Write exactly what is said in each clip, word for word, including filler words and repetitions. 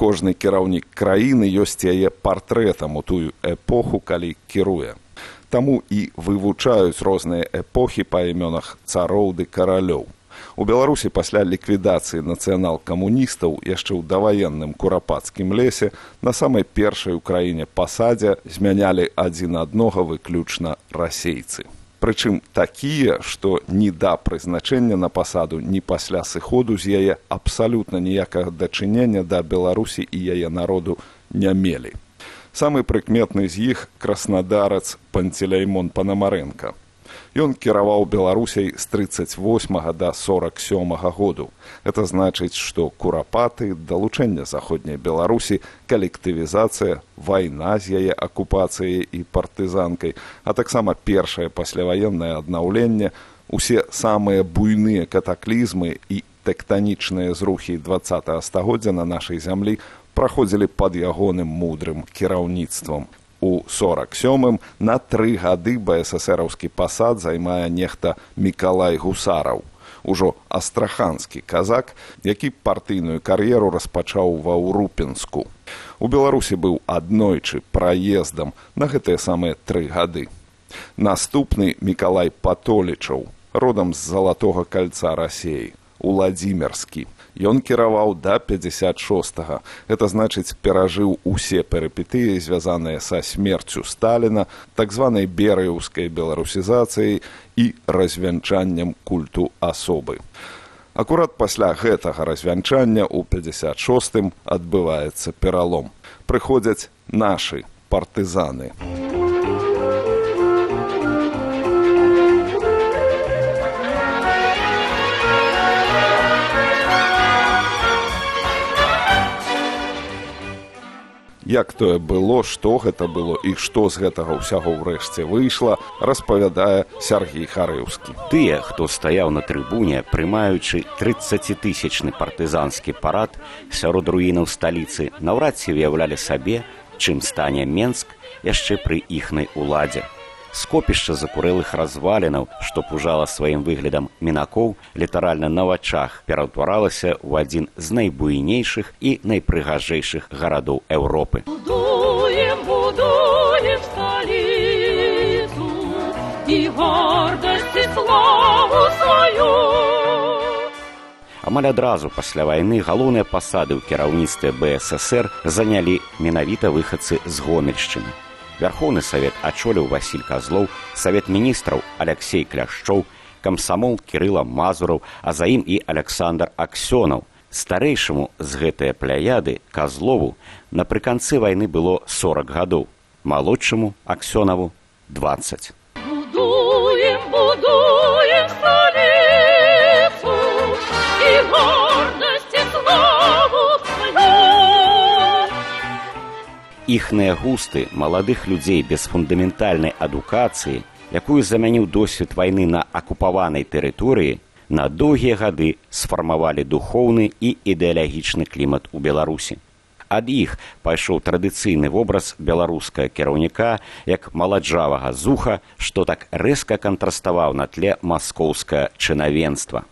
Кожны кіраўнік краіны ёсць яе партрэтам у тую эпоху, калі кіруе. Таму і вывучаюць розныя эпохі па імёнах цароў ды каралёў. У Беларусі пасля ліквідацыі нацыянал-камуністаў яшчэ ў даваенным курапацкім лесе на самай першай у краіне пасадзе змянялі адзін аднога выключна расейцы. Прычым такія, што ні да прызначэння на пасаду, ні пасля сыходу з яе абсалютна ніякага дачынення да Беларусі і яе народу не мелі. Самы прыкметны з іх краснадарац Панцелеймон Панамарэнка. Ён кіраваў Беларусяй з трыццаць восьмага да сорак сёмага году. Это значыць, што курапаты, далучэнне заходняй Беларусі, калектывізацыя, вайна з яе акупацыяй і партызанкай, а таксама першае пасляваеннае аднаўленне, усе самыя буйныя катаклізмы і тэктанічныя зрухі дваццатага стагоддзя на нашай зямлі праходзілі пад ягоным мудрым кіраўніцтвам. У сорак сёмым на тры гады БССРаўскі пасад займае нехта Мікалай Гусараў, ужо астраханскі казак, які партыйную кар'еру распачаў ва Ўрупенску. У Беларусі быў аднойчы праездам на гэтыя самыя тры гады. Наступны Мікалай Патолічаў, родам з Залатога кальца Расеі, Уладзімірскі. Ён кіраваў да пятьдесят шостага. Это значыць, перажыў усе перыпетыі, звязаныя са смерцю Сталіна, так званай берыяўскай беларусізацыяй і развянчаннем культу асобы. Акурат пасля гэтага развянчання ў пятьдесят шостым адбываецца пералом. Прыходзяць нашы партызаны. Як тое было, што гэта было і што з гэтага ўсяго ўрэшце выйшла, распавядае Сяргей Харыўскі. Тыя, хто стаяў на трыбуне, прымаючы трыццацітысячны партызанскі парад сярод руінаў сталіцы, наўрад ці выяўлялі сабе, чым стане Менск яшчэ пры іхнай уладзе. Скопішча закурэлых развалінаў, што пужала сваім выглядам мінакоў, літаральна на вачах пераўтваралася ў адзін з найбуйнейшых і найпрыгажэйшых гарадоў Еўропы. Будуем, будуем сталіцу і гордасць і славу сваю. Амаль адразу пасля вайны галоўныя пасады ў кіраўніцтве БССР занялі менавіта выхадцы з Гомельшчыны. Вярхоўны савет ачоліў Васіль Казлоў, савет міністраў Аляксей Кляшчоў, камсамол Кірыла Мазураў, а за ім і Аляксандр Аксёнаў. Старэйшаму з гэтыя пляяды Казлову напрыканцы вайны было сорак гадоў, малодшаму Аксёнаву дваццаць. Будуем, будуем сталіцу і гордасць і славу сваю. Іхныя густы маладых людзей без фундаментальнай адукацыі, якую замяніў досвед вайны на акупаванай тэрыторыі, на доўгія гады сфармавалі духоўны і ідэалагічны клімат у Беларусі. Ад іх пайшоў традыцыйны вобраз беларускага кіраўніка як маладжавага зуха, што так рэзка кантраставаў на тле маскоўскага чынавенства.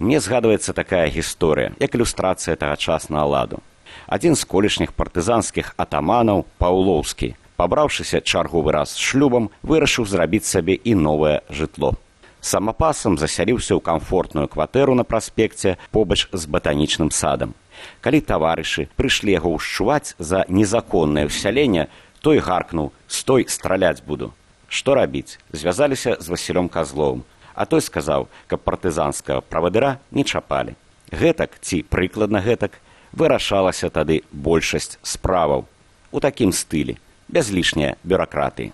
Мне згадваецца такая гісторыя, як ілюстрацыя тагачаснага ладу. Адзін з колішніх партызанскіх атаманаў, Паўлоўскі, пабраўшыся чарговы раз з шлюбам, вырашыў зрабіць сабе і новае жытло. Самапасам засяліўся ў камфортную кватэру на праспекце побач з батанічным садам. Калі таварышы прыйшлі яго ўшчуваць за незаконнае ўсяленне, той гаркнуў: «Стой, страляць буду». Што рабіць? Звязаліся з Васілём Казловым, а той сказаў, каб партызанскага правадыра не чапалі. Гэтак, ці прыкладна гэтак, вырашалася тады большасць справаў. У такім стылі, без лішняй бюракратыі.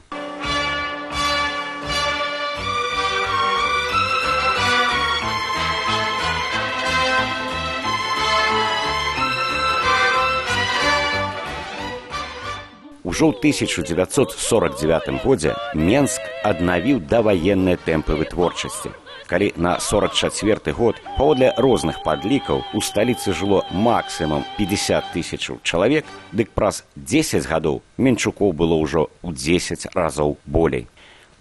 Ужо ў тысяча дзевяцьсот сорак дзевятым годзе Менск аднавіў даваенныя тэмпы вытворчасці. Калі на сорак чацвёрты год, паводле розных падлікаў, у сталіцы жыло максімум пятьдесят тысяч чалавек, дык праз дзесяць гадоў менчукоў было ўжо ў дзесяць разоў болей.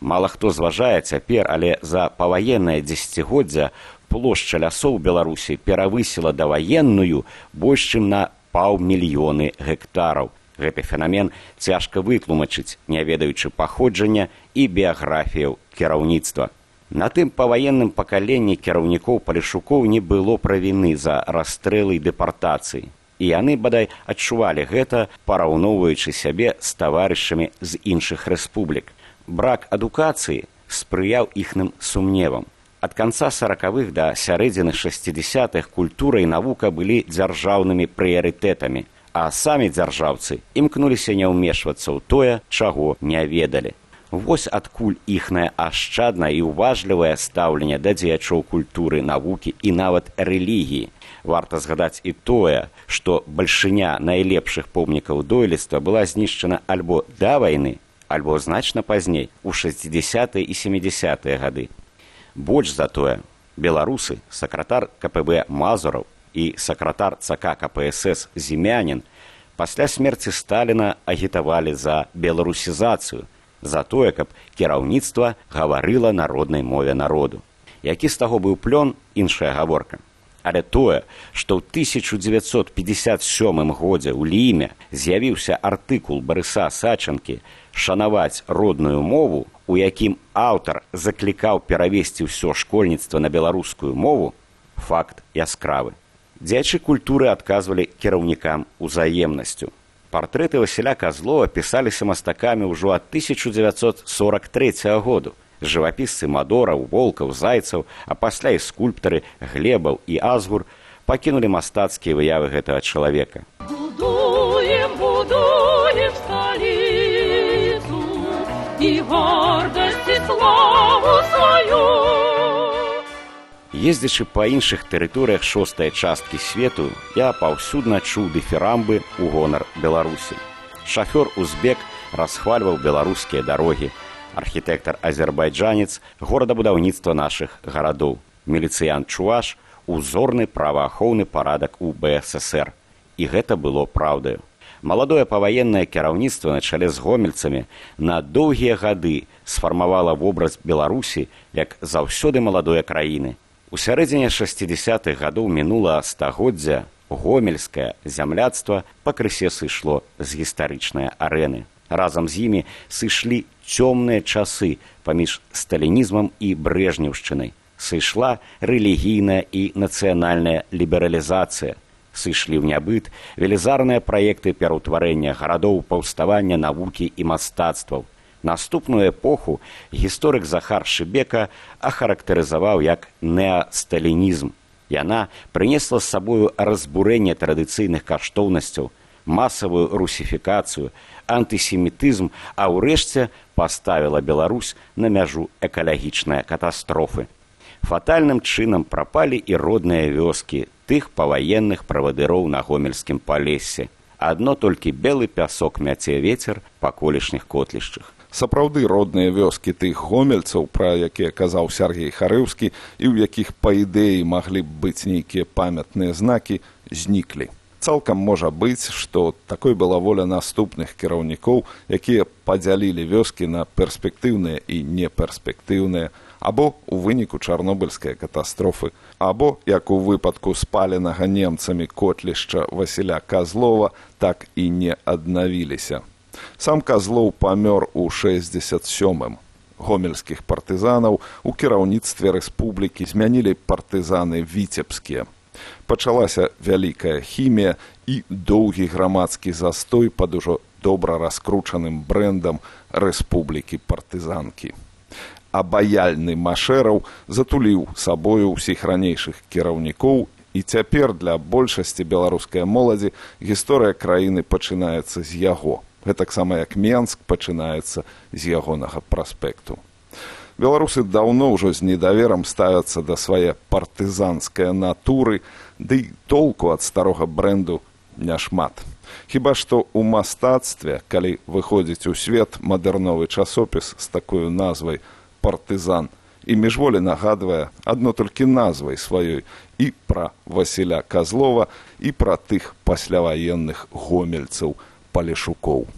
Мала хто зважае цяпер, але за паваеннае дзесяцігоддзя плошча лясоў Беларусі перавысіла даваенную больш чым на паўмільёны гектараў. Гэты фенамен цяжка вытлумачыць, не ведаючы паходжання і біяграфіяў кіраўніцтва. На тым паваенным пакаленні кіраўнікоў палешукоў не было правіны за расстрэлы і дэпартацыі. І яны, бадай, адчувалі гэта, параўноўваючы сябе з таварышамі з іншых рэспублік. Брак адукацыі спрыяў іхным сумневам. Ад канца саракавых да сярэдзіны шасцідзясятых культура і навука былі дзяржаўнымі прыярытэтамі, а самі дзяржаўцы імкнуліся не ўмешвацца ў тое, чаго не ведалі. Вось адкуль іхнае ашчаднае і ўважлівае стаўленне да дзеячоў культуры, навукі і нават рэлігіі. Варта згадаць і тое, што бальшыня найлепшых помнікаў дойлідства была знішчана альбо да вайны, альбо значна пазней, у шэсцідзясятыя і сямідзясятыя гады. Больш за тое, беларусы, сакратар ка пэ бэ Мазураў і сакратар цэ ка ка пэ эс эс Зімянін пасля смерці Сталіна агітавалі за беларусізацыю, за тое, каб кіраўніцтва гаварыла народнай мове народу. Які з таго быў плён, іншая гаворка. Але тое, што ў тысяча дзевяцьсот пятьдесят сёмым годзе ў Ліме з'явіўся артыкул Барыса Сачанкі «Шанаваць родную мову», у якім аўтар заклікаў перавесці ўсё школьніцтва на беларускую мову, факт яскравы. Дзячы культуры адказвалі кіраўнікам узаемнасцю. Партрэты Васіля Казлова пісаліся мастакамі ўжо ад тысяча дзевяцьсот сорак трэцяга году. Жывапісцы Мадораў, Волкаў, Зайцаў, а пасля і скульптары Глебаў і Азгур пакінулі мастацкія выявы гэтага чалавека. Будуем, будуем столицу и гордость и славу свою. Ездзячы па іншых тэрыторыях шостай часткі свету, я паўсюдна чуў дыфірамбы ў гонар Беларусі. Шафёр узбек расхвальваў беларускія дарогі, архітэктар-азербайджанец горадабудаўніцтва нашых гарадоў, міліцыянт чуваш узорны праваахоўны парадак у бэ эс эс эр. І гэта было праўдаю. Маладое паваеннае кіраўніцтва на чале з гомельцамі на доўгія гады сфармавала вобраз Беларусі як заўсёды маладой краіны. У сярэдзіне шасцідзясятых гадоў мінулага стагоддзя гомельскае зямляцтва пакрысе сышло з гістарычнай арэны. Разам з імі сышлі цёмныя часы паміж сталінізмам і брэжнеўшчынай. Сышла рэлігійная і нацыянальная лібералізацыя. Сышлі ў нябыт велізарныя праекты пераўтварэння гарадоў, паўставання навукі і мастацтваў. Наступную эпоху гісторык Захар Шыбека ахарактарызаваў як неасталінізм. Яна прынесла з сабою разбурэнне традыцыйных каштоўнасцяў, масавую русіфікацыю, антысемітызм, а ўрэшце паставіла Беларусь на мяжу экалагічнай катастрофы. Фатальным чынам прапалі і родныя вёскі тых паваенных правадыроў на гомельскім палесе. Адно толькі белы пясок мяце вецер па колішніх котлішчах. Сапраўды родныя вёскі тых гомельцаў, пра якія казаў Сяргей Харэўскі, і ў якіх, па ідэі, маглі б быць нейкія памятныя знакі, зніклі. Цалкам можа быць, што такой была воля наступных кіраўнікоў, якія падзялілі вёскі на перспектыўныя і неперспектыўныя, або ў выніку чарнобыльскай катастрофы, або, як у выпадку спаленага немцамі котлішча Васіля Казлова, так і не аднавіліся. Сам Казлоў памёр у шэсцьдзесят сёмым. Гомельскіх партызанаў у кіраўніцтве рэспублікі змянілі партызаны віцебскія. Пачалася вялікая хімія і доўгі грамадскі застой пад ужо добра раскручаным брэндам рэспублікі партызанкі. Абаяльны Машэраў затуліў сабою ўсіх ранейшых кіраўнікоў, і цяпер для большасці беларускай моладзі гісторыя краіны пачынаецца з яго. Гэтаксама як Менск пачынаецца з ягонага праспекту. Беларусы даўно ўжо з недаверам ставяцца да свае партызанскай натуры, ды толку ад старога брэнду няшмат. Хіба што ў мастацтве, калі выходзіць у свет мадэрновы часопіс з такой назвай «Партызан», і міжволі нагадвае адно толькі назвай сваёй і пра Васіля Казлова, і пра тых пасляваенных гомельцаў палешукоў.